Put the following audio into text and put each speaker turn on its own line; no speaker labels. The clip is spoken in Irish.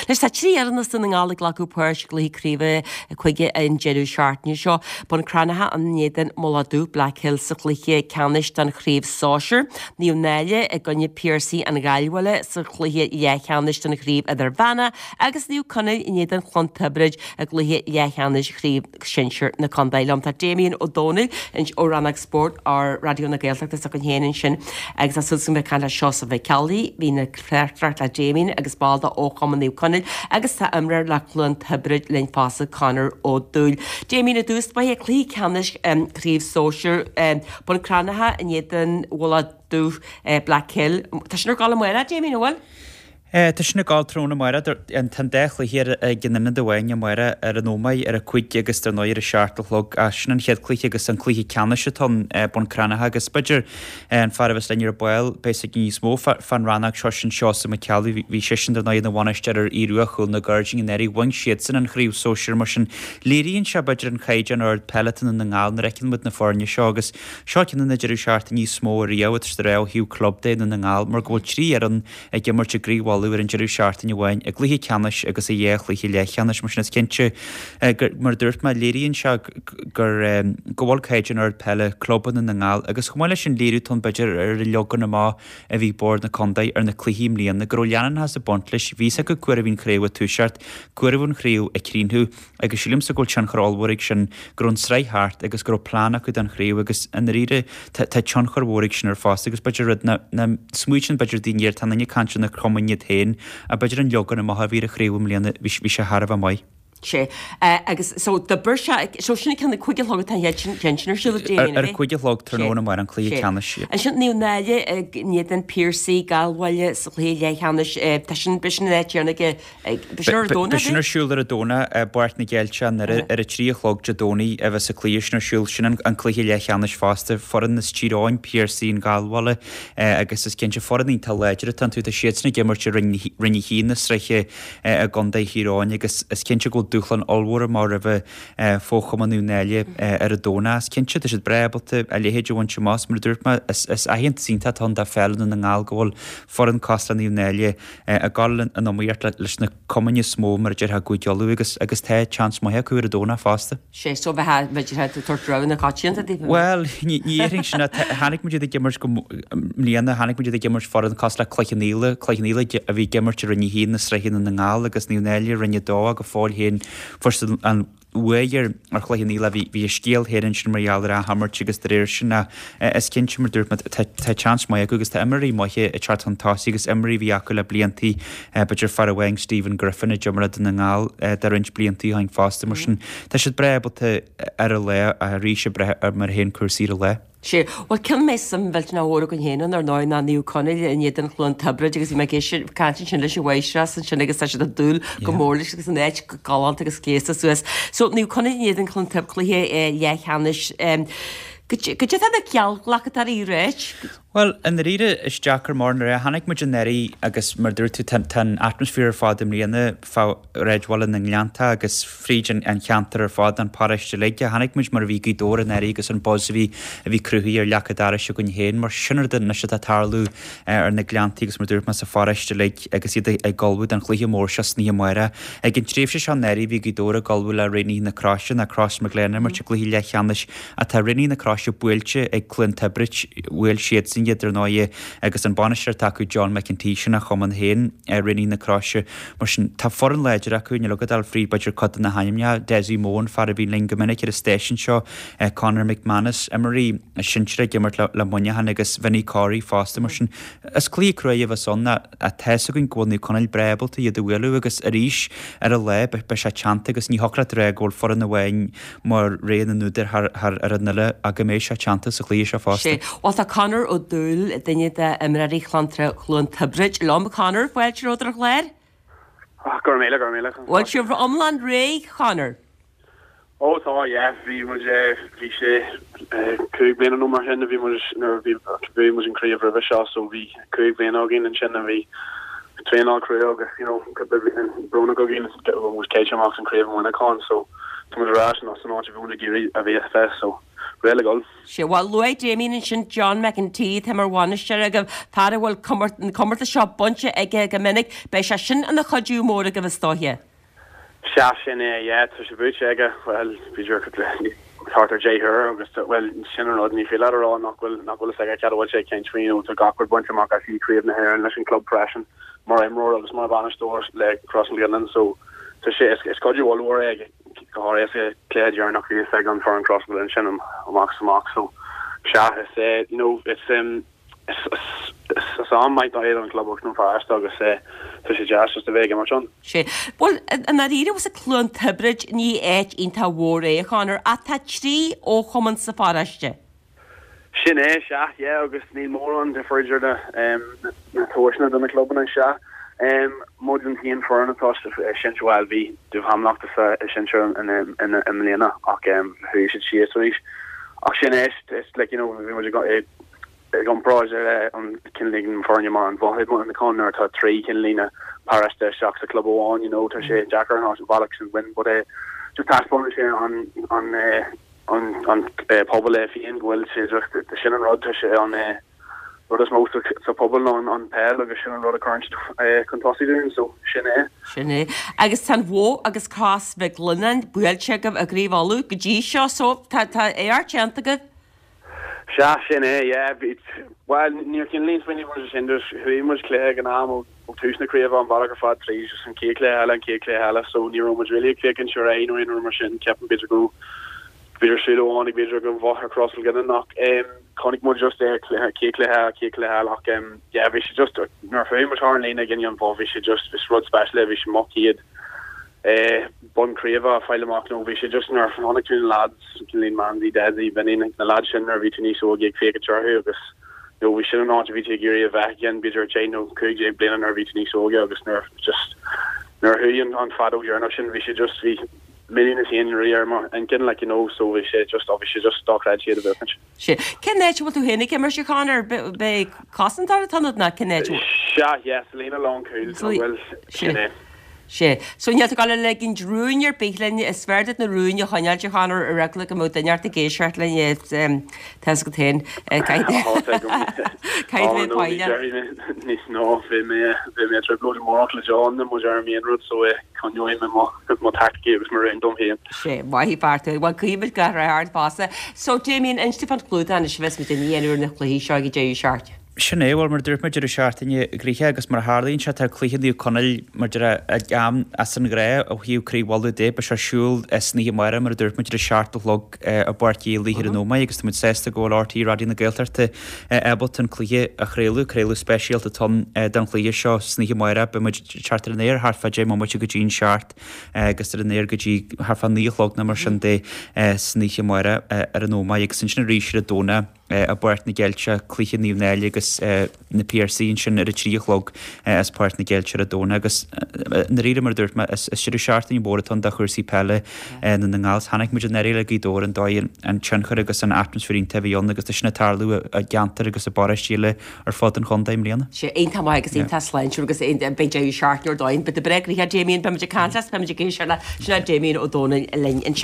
Anois tá 3 fhoireann as Dún na nGall ag glacadh páirt i gcluichí craoibhe cúige an deireadh seachtaine seo. Bun Cranncha in éadan Mullach Dubh, Blackhill sa chluiche ceannais don chraobh sóisir, Naomh Náille i gcoinne Piarsaigh an Ghaillbhaile sa chluiche leathcheannais don chraobh idirmheánach agus Naomh Conaill in éadan Chlann Tiobraid i gcluiche leathcheannais chraobh shinsir na contae. Liom tá Damien Ó Dónaill ó Rannóg Spóirt ar Raidió na Gaeltachta s'againn féin ansin agus tá súil agam bheith ag caint le Seosamh Mac Ceallaigh, bhí ag tráchtaireacht le Damien agus ball de fhochumann Naomh Conaill agus tá imreoir le Cluain Tiobraid linn fosta, Conor Ó Dúill. Damien, i dtús báire, cluiche ceannais Craobh Sóisir Bun Cranncha in éadan Mhullach Dubh, Blackhill. Tá sin ar gabháil amárach, Damien, an bhfuil?
Tá sin ag gabháil tráthnóna amárach. Tá an dá chluiche ag an ionad amháin amárach ar an Ómaigh ar a 5 agus dar ndóigh ar a 7 a chlog. Ach sin an chéad chluiche agus an cluiche ceannais atá ann, Bun Cranncha agus b'fhéidir an fear a bheas linn ar ball, beidh a fhios aige níos mó fán rannóg seo, sin Seosamh Mac Ceallaigh. Bhí seisean dar ndóigh ina bhainisteoir ar Aodh Rua Chúil na Gairdíní anuraidh. Bhain siadsan an chraobh sóisir mar sin léiríonn sé b'fhéidir an caighdeán ard peile atá i nDún na nGall nuair a fheiceann muid na foirne seo agus seo ceann de na deireadh seachtaine is mó ariamh atá sé a rá ó thaobh club de i nDún na nGall mar go bhfuil 3 fhoireann ag imirt i gCraobh Uladh ar an deireadh seachtaine amháin, i gcluiche ceannais agus i dhá chluiche leathcheannais. Mar sin is cinnte gur, mar a dúirt mé, léiríonn sé gur, go bhfuil caighdeán ard peile club i nDún na nGall agus chomh maith leis sin léiriú atá ann b'fhéidir ar an leagan amach a bhí ag Bord na Contae ar na cluichí i mbliana, go raibh leanúnachas ag baint leis, bhí fhios acu cá huair a bhí an chraobh ag toiseacht, cá huair a bhí an chraobh ag críochnú. Agus sílimse go bhfuil tionchar ollmhór ag sin, go raibh an tsraith thart agus go raibh plean acu don chraobh agus i ndáiríre tá tá tionchar mhór ag sin ar fosta agus b'fhéidir rud nach nach smaoitíonn b'fhéidir daoine air, tá an duine ag caint ar na cumainn iad féin ach b'fhéidir an leagan amach a bhí ar an chraobh i mbliana bhí bhí sé thar a bheith maith.
Sé. Agus so d'oibir sé, so sin ceann a cúig a chlog atá an chéad ceann sin ar siúl ag Damien,
Ar a cúig a chlog tráthnóna amárach an cluiche ceannais.
Ansin Naomh Náille in éadan Piarsaigh, Gallbhaile sa chluiche leathcheannais. Tá sin, beidh sin an áit chéanna ag
Beidh sin ar an Domhnach, Beidh sin ar siúl ar an Domhnach i bPáirc na gCeilteach i nDoire ar a 3 a chlog Dé Domhnaigh a bheas an cluiche sin ar siúl. Sin an cluiche leathcheannais fosta. Foireann as Tír Eoghain, Piarsaigh an Ghallbhaile agus is cinnte foireann iontach láidir atá iontu. Tá siadsan ag imirt i Roinn 1 na sraithe i gContae Thír Eoghain agus is cinnte go bhfuil dúshlán ollmhór amach roimhe fo-chumann Naomh Náille ar an Domhnach. Is cinnte tá siad breá ábalta a leithéid a bhaint amach. Mar a dúirt mé, is aitheantas iontach atá ann do pheil Dhún na nGall go bhfuil foireann cosúil le Naomh Náille ag dul in iomaíocht leis na cumainn is mó mar a déarfá i gCúige Uladh agus agus tá seans maith acu ar an Domhnach fosta.
Sé so bheith b'fhéidir ag tabhairt rogha na coitianta
daofa. Bhuel, ní déarfainn sin. Chonaic muid iad ag imirt go mbliana, chonaic muid iad ag imirt foireann cosúil le Cloich Cheann Fhaola, Cloich Cheann Fhaola a bhí ag imirt i Roinn 1 na sraithe i nDún na nGall agus Naomh Náille i Roinn 2 go fóill féin fuair siad an bhuaidh ar Chloich Cheann Fhaola. Bhí bhí a scéal féin ansin mar gheall ar athimirt agus de réir sin ach is cinnte mar dúirt mé tá tá seans maith acu agus tá imreoirí maithe ag teacht chun tosaigh agus imreoirí a bhí acu le bliantaí b'fhéidir fear amháin Stephen Griffin a d'imir le Dún na nGall do roinnt bliantaí ó shin fosta mar sin tá siad breá ábalta ar an lá arís ag brath ar mar a théann cúrsaí ar an lá.
Sea, bhuel, ceann a mbeidh suim mhillteanach mhór againn féin ann, ar ndóigh, ná Naomh Conaill in éadan Chluain Tiobraid agus bhí mé ag éisteacht, caint ansin leis an mháistreás ansin agus tá siad ag dúil go mór leis agus an áit go galánta agus gléasta suas. So, Naomh Conaill in éadan Chluain Tiobraid, cluiche leathcheannais. Goidé tá na geallghlacadóirí ag ráit?
Bhuel, i ndáiríre, is deacair mar nuair a chonaic muid anuraidh agus mar a dúirt tú tá an atmaisféar ar fad i mbliana fá shráidbhaile na nGleannta agus fríd an cheantar ar fad, an paróiste uilig. Chonaic muid mar a bhí Gaoth Dobhair anuraidh agus an buzz a bhí a bhí cruthaithe ar leac an dorais againn féin mar sin rud anois atá ag tarlú ar na Gleanntaí agus mar a dúirt mé sa pharóiste uilig agus iad ag ullmhú don chluiche mór seo san oíche amárach. Ag an tréimhse seo anuraidh bhí Gaoth Dobhair ag ullmhú le Raonaithe na Croise, ná Crossmaglen, ag imirt i gcluiche leathcheannais Ach tá Raonaithe na Croise buailte ag Cluain Tiobraid, bhuail siadsan iad, ar ndóighe, agus an bainisteoir atá acu, John McEntee, sin a chumann féin, Raonaithe na Croise. Mar sin, tá foireann láidir acu, níl agat ach dul fríd, b'fhéidir, cuid de na hainmneacha, Dessie Mohan, fear a bhíonn linn go minic ar an stáisiún seo, Conor McManus, imreoirí sinsir ag imirt le Muineachán agus Vinny Corey fosta. Mar sin, is cluiche cruaidh a bheas ann ach tá fhios againn go bhfuil Naomh Conaill breá ábalta iad a bhualadh agus arís, ar an lá, beidh sé teannta agus ní thiocfadh leat a rá go bhfuil foireann amháin mar rogha na n-údar thar fhoireann eile ach go mbeidh sé teannta sa chluiche seo fosta.
Sea. Bhuel, tá Conor Ó Dúill, duine d'imreoirí Chluain Tiobraid, liom. Conor, fáilte romhat ar an chlár.
Go raibh míle, go raibh míle.
Bhfuil sibh iomlán réidh, Conor?
Ó tá, yeah. Bhí muid, bhí sé 5 bliana nó mar sin a bhí muid, nuair a bhí, bhuaigh muid an craobh roimhe seo so bhí 5 bliana againn ansin a bhí traenáil crua agus you know cúpla bliain brónach againn go bhfuil muid caillte amach san craobh i Muineachán so tá muid ar ais san áit a bhí muid ag iarraidh a bheith so. Réidh le dhul.
Sea, bhuel, luaigh Damien ansin John McEntee, atá mar bhainisteoir agaibh, fear a bhfuil an comórtas seo bainte aige go minic. Beidh sé sin ina chuidiú mór agaibh is dóiche.
Sea, sin é, yeah, tá sé buaite aige, bhuel, b'fhéidir thart ar 10 huair agus, bhuel, sin an rud, ní féidir leat a rá nach bhfuil, nach bhfuil fhios aige cad a bhfuil sé ag caint faoi, you know, tá gach rud bainte amach aige, Craobh na hÉireann leis an club freisin, mar imreoir agus mar bhainisteoir le Crois na Ghrianáin, so tá sé, is, is cuidiú ollmhór é, go háirithe sa cluiche deireanach bhí fhios ag an foireann Crois na Ghrianáin sin amach is amach, so sea, is é, you know, it's, um, Is am maith é don chlub agus don pharóiste agus tá sé deas just a bheith ag imirt ann.
Sea. Bhuel, i ndáiríre, bhfuil Cluain Tiobraid, ní áit iontach mhór é, a Chonor, ach tá 3 fhochumann sa pharóiste.
Sin é, sea, yeah, agus níl mórán difear idir na na tomhaiseanna do na clubanna, sea. Muid an t-aon foireann atá sa sinsir, bhuel, bhí Dún Thamlachta sa sinsir i mbliana ach chuaigh siad síos arís. Ach sin é, it's like, you know, bhí muid ag I gcomparáid le an cineál foirne mar an Bhoth i Maigh nuair atá 3 cineál líne paróiste isteach sa club amháin you know tá sé deacair an bealach sin win but eh just taispeánann sé an an eh an an eh pobal é féin go bhfuil sé just sin an rud tá sé an eh rud is mó sa sa pobal ná an an peil agus sin an rud a chuireann siad eh chun tosaigh dúinn so sin é.
Sin é. Agus tá an Bhoth agus Cros Mhic Lionnáin buailte agaibh i gCraobh Uladh go dtí seo so tá tá éacht déanta agaibh.
Sea, sin é, yeah. Bhí, bhuel, níor cineál smaoinigh muid ar sin, just chuaigh muid cluiche ag an am ó tús na craoibhe an bealach ar fad tríd, just an chéad chluiche eile, an chéad chluiche eile, so ní raibh muid really ag féachaint ar aghaidh nó aon rud mar sin, ceapaim b'fhéidir go, b'fhéidir súil amháin ag b'fhéidir ag an Bhoth ar Chros Mhic Lionnáin ach em chonaic muid just é cluiche, chéad chluiche eile, chéad chluiche eile ach em yeah bhí sé just, nuair a chuaigh muid thar an líne i gcoinne an Bhoth bhí sé just, is rud speisialta é, bhí sé mo chéad bonn craoibhe a fáil amach nó bhí sé just nuair a chonaic tú na lads, cineál Manzy, Desi, Vinny, na lads sin nuair a bhí tú níos óige ag féachaint orthu agus you know bhí sin an áit a bhí tú ag iarraidh a bheith again b'fhéidir 10 nó 15 bliana nuair a bhí tú níos óige agus nuair just nuair a chuaigh an an feadóg dheireanach sin bhí sé just bhí milliún is aon rudaí ar mo intinn like you know so bhí sé just oh bhí sé just dochreidte iad a
bhuachaint. Sea. Cén áit a bhfuil tú féin ag imirt a Chonor? B'é cosantóir atá ionat nó cén áit a bhfuil?
Sea, yes, líne lánchúil, tá bhfuil, sin é.
Sea. So níl tú ag dul a ligint rúin ar bith linn, is fearr duit na rúin a choinneáilt a Chonor ar eagla go mbeadh duine ort ag éisteacht linn, tá fhios agat féin, caithfidh
tú bheith foighdeach. Níos ná, bhí mé bhí mé i dtrioblóid amárach le John muid ar an aon rud so coinneoidh mé mo mo taicticí agus mo rúin dom féin.
Sea, maith an fear tú. Bhuel, guímid gach rath ort fosta. So Damien, inis dúinn fán chlúdach anois a bheas muid ag déanamh ar na cluichí seo ag an deireadh seachtaine.
Sin é, bhuel, mar a dúirt mé, deireadh seachtaine gnoitheach agus mar a tharlaíonn sé, tá cluiche Naomh Conaill mar deir ag am as an ghnáth ó thaobh Craobh Uladh de. Beidh sé ar siúl san oíche amárach, mar a dúirt muid, ar a seacht a chlog i bPáirc Uí Fhlatharta ar an Ómaigh agus tá muid sásta go bhfuil RTÉ Raidió na Gaeltachta ábalta an cluiche a chraoladh. Craoladh speisialta atá ann don chluiche seo san oíche amárach. Beidh muid ag teacht ar an aer thart fá deich mbomaite go dtí an seacht agus ar an aer go dtí thart fá naoi a chlog nó mar sin de san oíche amárach ar an Ómaigh agus ansin arís ar an Domhnach. i bPáirc na gCeilteach, cluiche Naomh Náille agus na Piarsaigh ansin ar a 3 a chlog as Páirc na gCeilteach ar an Domhnach agus i ndáiríre mar a dúirt mé is deireadh seachtaine mór atá ann do chúrsaí peile i nDún na nGall. Chonaic muid anuraidh le Gaoth Dobhair an dóigh an tionchar agus an atmaisféar iontach a bhí ann agus tá sin ag tarlú i gceantair agus i bparóistí eile ar fud an chontae i mbliana.
Sea, iontach maith agus iontach sláintiúil agus beidh deireadh seachtaine ar dóigh. Beidh tú breá gnoitheach Damien, beimid ag caint leat, beimid ag éisteacht leat. Sin é Damien Ó Dónaill linn ansin.